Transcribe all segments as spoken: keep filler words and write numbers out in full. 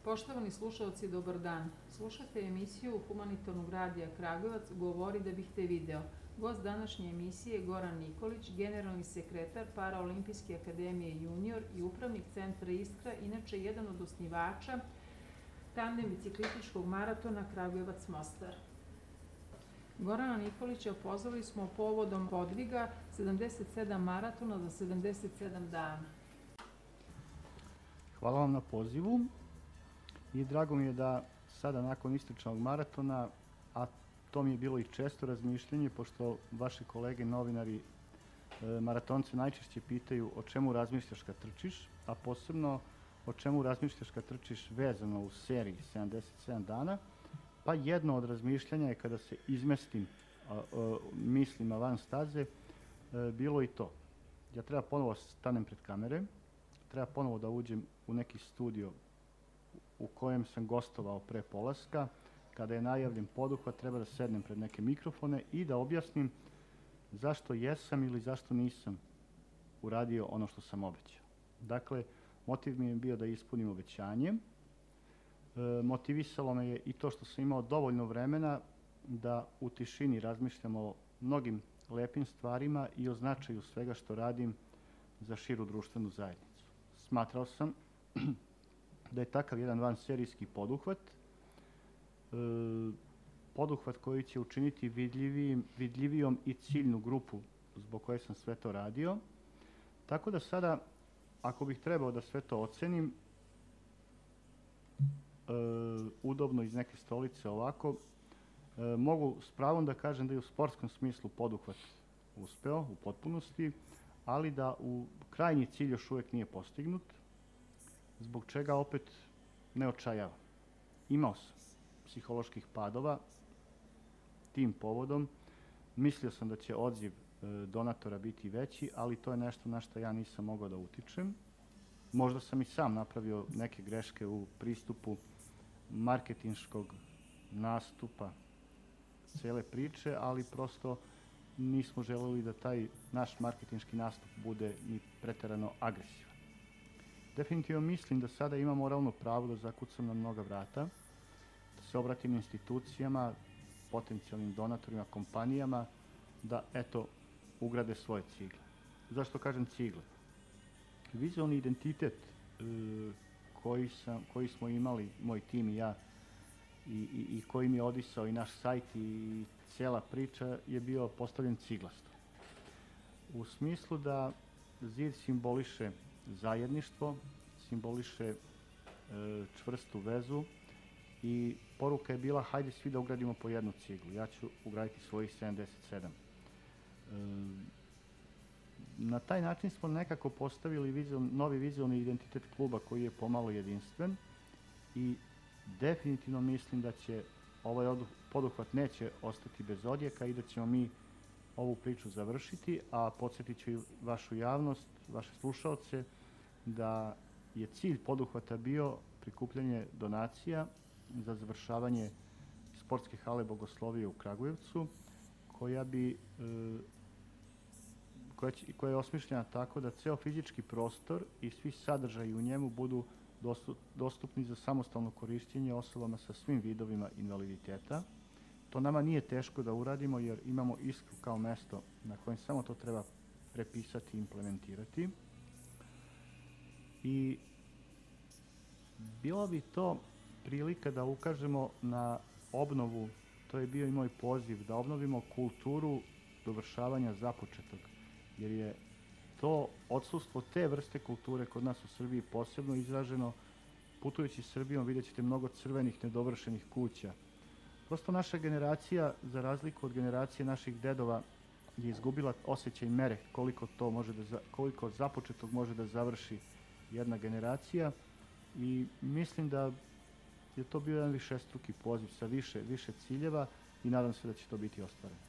Poštovani slušalci, dobar dan. Slušate emisiju Humanitarnog radija Kragujevac Govori da bih te video. Gost današnje emisije je Goran Nikolić, generalni sekretar Paraolimpijske akademije junior i upravnik centra Iskra, inače jedan od osnivača tandem biciklističkog maratona Kragujevac-Mostar. Gorana Nikolića pozvali smo povodom podviga sedamdeset sedam maratona za sedamdeset sedam dana. Hvala vam na pozivu i drago mi je da sada nakon istočnog maratona, a to mi je bilo i često razmišljenje, pošto vaši kolege novinari maratonce najčešće pitaju o čemu razmišljaš kad trčiš, a posebno o čemu razmišljaš kad trčiš vezano u seriji sedamdeset sedam dana, pa jedno od razmišljanja je kada se izmestim a, a, mislima van staze, a, bilo i to. Ja treba ponovo stanem pred kamere, treba ponovo da uđem u neki studio u kojem sam gostovao pre polaska. Kada je najavljen poduhvat, treba da sednem pred neke mikrofone i da objasnim zašto jesam ili zašto nisam uradio ono što sam obećao. Dakle, motiv mi je bio da ispunim obećanje. E, motivisalo me je i to što sam imao dovoljno vremena da u tišini razmišljam o mnogim lepim stvarima i o značaju svega što radim za širu društvenu zajednicu. Smatrao sam da je takav jedan vanserijski poduhvat, e, poduhvat koji će učiniti vidljivijim, vidljivijom i ciljnu grupu zbog koje sam sve to radio. Tako da sada, ako bih trebao da sve to ocenim, e, udobno iz neke stolice ovako, e, mogu s pravom da kažem da je u sportskom smislu poduhvat uspeo u potpunosti, ali da u krajnji cilj još uvijek nije postignut, zbog čega opet ne očajavam. Imao sam psiholoških padova tim povodom. Mislio sam da će odziv e, donatora biti veći, ali to je nešto na što ja nisam mogao da utičem. Možda sam i sam napravio neke greške u pristupu marketinškog nastupa cele priče, ali prosto nismo želeli da taj naš marketinški nastup bude ni preterano agresivan. Definitivno mislim da sada imam moralno pravo da zakucam na mnoga vrata, da se obratim institucijama, potencijalnim donatorima, kompanijama, da, eto, ugrade svoje cigle. Zašto kažem cigle? Vizualni identitet e, koji, sam, koji smo imali, moj tim i ja, i, i, i koji mi je odisao i naš sajt i cijela priča je bio postavljen ciglasto. U smislu da zid simboliše zajedništvo, simboliše e, čvrstu vezu i poruka je bila hajde svi da ugradimo po jednu ciglu. Ja ću ugraditi svojih sedamdeset sedam. E, na taj način smo nekako postavili vizual, novi vizualni identitet kluba koji je pomalo jedinstven i definitivno mislim da će ovaj poduhvat neće ostati bez odjeka i da ćemo mi ovu priču završiti, a podsjetit ću i vašu javnost, vaše slušaoce, da je cilj poduhvata bio prikupljanje donacija za završavanje sportske hale Bogoslovije u Kragujevcu, koja bi e, koja, će, koja je osmišljena tako da ceo fizički prostor i svi sadržaji u njemu budu dostupni za samostalno korišćenje osobama sa svim vidovima invaliditeta. To nama nije teško da uradimo jer imamo Iskru kao mesto na kojem samo to treba prepisati i implementirati. I bilo bi to prilika da ukažemo na obnovu, to je bio i moj poziv, da obnovimo kulturu dovršavanja započetog, jer je to odsustvo te vrste kulture kod nas u Srbiji posebno izraženo. Putujući Srbijom vidjet ćete mnogo crvenih nedovršenih kuća. Prosto naša generacija, za razliku od generacije naših dedova, je izgubila osjećaj mere koliko to može da, koliko započetog može da završi jedna generacija i mislim da je to bio jedan višestruki poziv sa više, više ciljeva i nadam se da će to biti ostvareno.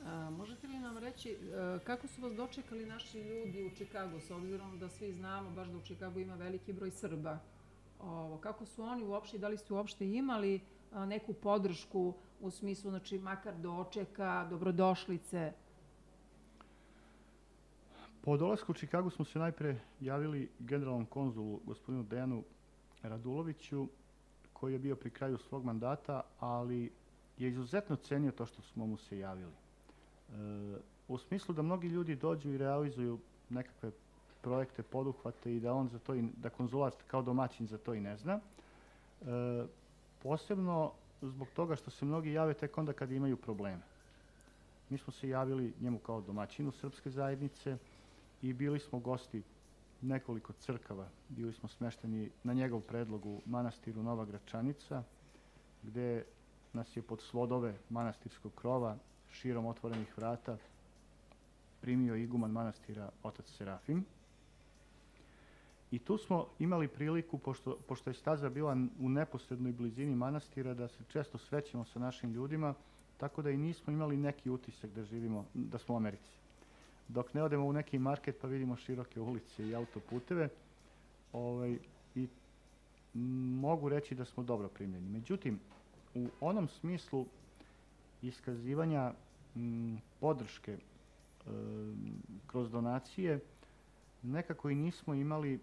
A, možete li nam reći a, kako su vas dočekali naši ljudi u Čikagu, s obzirom da svi znamo baš da u Čikagu ima veliki broj Srba? Ovo, kako su oni uopšte, da li ste uopšte imali a, neku podršku u smislu, znači makar dočeka, dobrodošlice? Po dolasku u Čikagu smo se najpre javili generalnom konzulu, gospodinu Dejanu Raduloviću, koji je bio pri kraju svog mandata, ali je izuzetno cenio to što smo mu se javili. E, u smislu da mnogi ljudi dođu i realizuju nekakve projekte, poduhvate i da on za to, i, da konzulat kao domaćin za to i ne zna. E, posebno zbog toga što se mnogi jave tek onda kad imaju probleme. Mi smo se javili njemu kao domaćinu srpske zajednice i bili smo gosti nekoliko crkava. Bili smo smešteni na njegov predlog u manastiru Nova Gračanica, gde nas je pod svodove manastirskog krova, širom otvorenih vrata, primio iguman manastira otac Serafim. I tu smo imali priliku, pošto, pošto je staza bila u neposrednoj blizini manastira, da se često srećemo sa našim ljudima, tako da i nismo imali neki utisak da živimo, da smo u Americi. Dok ne odemo u neki market pa vidimo široke ulice i autoputeve, ovaj, i mogu reći da smo dobro primljeni. Međutim, u onom smislu iskazivanja m, podrške e, kroz donacije, nekako i nismo imali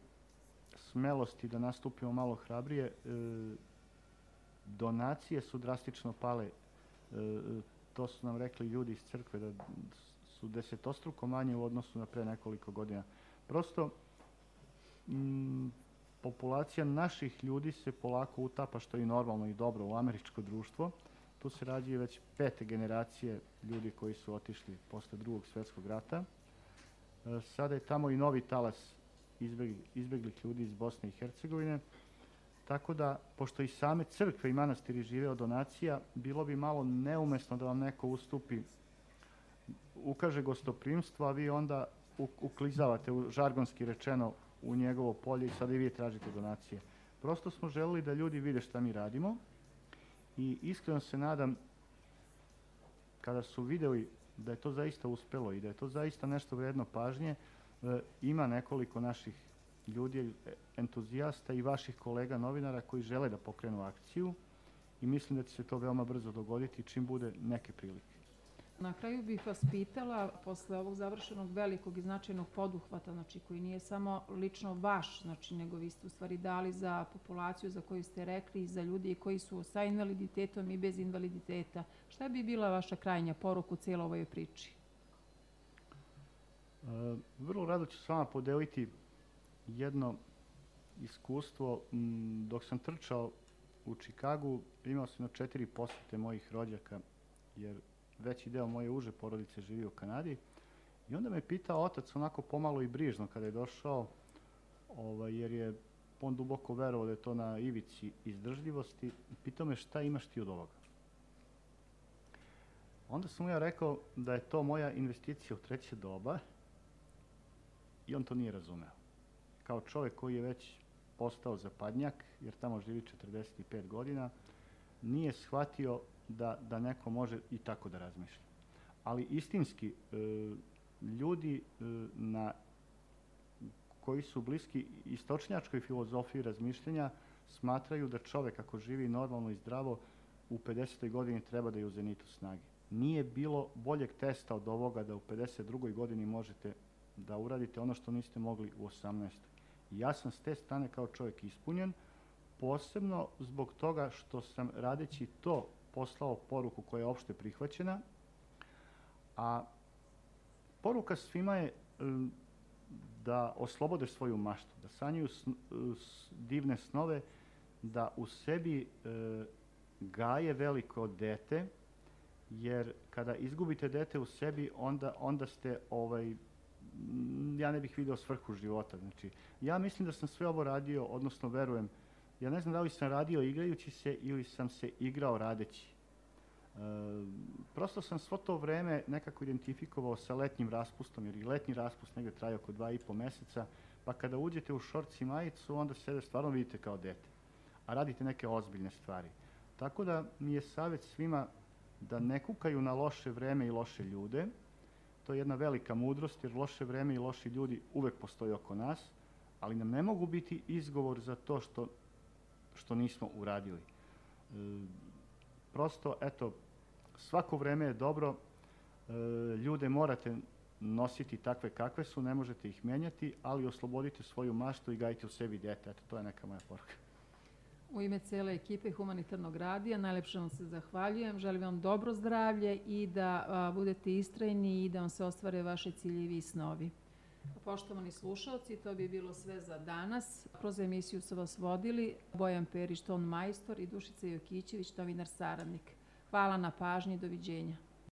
smelosti da nastupimo malo hrabrije. E, donacije su drastično pale. E, to su nam rekli ljudi iz crkve, da su desetostruko manje u odnosu na pre nekoliko godina. Prosto, m, populacija naših ljudi se polako utapa, što je normalno i dobro, u američko društvo. Tu se rađuje već pete generacije ljudi koji su otišli posle drugog svjetskog rata. E, sada je tamo i novi talas izbjegli, izbjeglih ljudi iz Bosne i Hercegovine. Tako da, pošto i same crkve i manastiri žive od donacija, bilo bi malo neumesno da vam neko ustupi, ukaže gostoprimstvo, a vi onda uklizavate, u, žargonski rečeno, u njegovo polje i sada i vi tražite donacije. Prosto smo želeli da ljudi vide šta mi radimo i iskreno se nadam, kada su vidjeli da je to zaista uspelo i da je to zaista nešto vredno pažnje, e, ima nekoliko naših ljudi, entuzijasta i vaših kolega novinara koji žele da pokrenu akciju i mislim da će se to veoma brzo dogoditi čim bude neke prilike. Na kraju bih vas pitala, posle ovog završenog velikog i značajnog poduhvata, znači koji nije samo lično vaš, znači nego vi ste u stvari dali za populaciju za koju ste rekli i za ljudi koji su sa invaliditetom i bez invaliditeta. Šta bi bila vaša krajnja poruka u cijeloj ovoj priči? E, vrlo rado ću s vama podeliti jedno iskustvo. M, dok sam trčao u Čikagu, imao sam na četiri posjete mojih rođaka, jer veći deo moje uže porodice živi u Kanadi. I onda me pitao otac onako pomalo i brižno kada je došao, ovaj, jer je on duboko verovao da je to na ivici izdržljivosti. Pitao me šta imaš ti od ovoga. Onda sam mu ja rekao da je to moja investicija u treće doba i on to nije razumeo. Kao čovjek koji je već postao zapadnjak, jer tamo živi četrdeset pet godina, nije shvatio da, da neko može i tako da razmišlja. Ali istinski, e, ljudi e, na, koji su bliski istočnjačkoj filozofiji razmišljanja smatraju da čovjek ako živi normalno i zdravo u pedesetoj godini treba da je u zenitu snage. Nije bilo boljeg testa od ovoga da u pedeset drugoj godini možete da uradite ono što niste mogli u osamnaestoj. Ja sam s te strane kao čovjek ispunjen, posebno zbog toga što sam radeći to poslao poruku koja je opšte prihvaćena, a poruka svima je um, da oslobode svoju maštu, da sanjaju sn, s, divne snove, da u sebi e, gaje veliko dete, jer kada izgubite dete u sebi, onda, onda ste, ovaj, ja ne bih video svrhu života. Znači, ja mislim da sam sve ovo radio, odnosno verujem, ja ne znam da li sam radio igrajući se ili sam se igrao radeći. E, prosto sam svo to vreme nekako identifikovao sa letnjim raspustom, jer i letnji raspust negdje traje oko dva i po meseca, pa kada uđete u šorc i majicu, onda sebe stvarno vidite kao dete, a radite neke ozbiljne stvari. Tako da mi je savjet svima da ne kukaju na loše vreme i loše ljude. To je jedna velika mudrost, jer loše vreme i loši ljudi uvek postoje oko nas, ali nam ne mogu biti izgovor za to što, što nismo uradili. E, prosto, eto, svako vreme je dobro, e, ljude morate nositi takve kakve su, ne možete ih menjati, ali oslobodite svoju maštu i gajite u sebi dete. Eto, to je neka moja poruka. U ime cele ekipe Humanitarnog radija najlepše vam se zahvaljujem. Želim vam dobro zdravlje i da a, budete istrajni i da vam se ostvare vaše ciljevi i snovi. Poštovani slušalci, to bi bilo sve za danas. Kroz emisiju su vas vodili Bojan Perić, ton majstor, i Dušica Jokićević, novinar saradnik. Hvala na pažnji, doviđenja.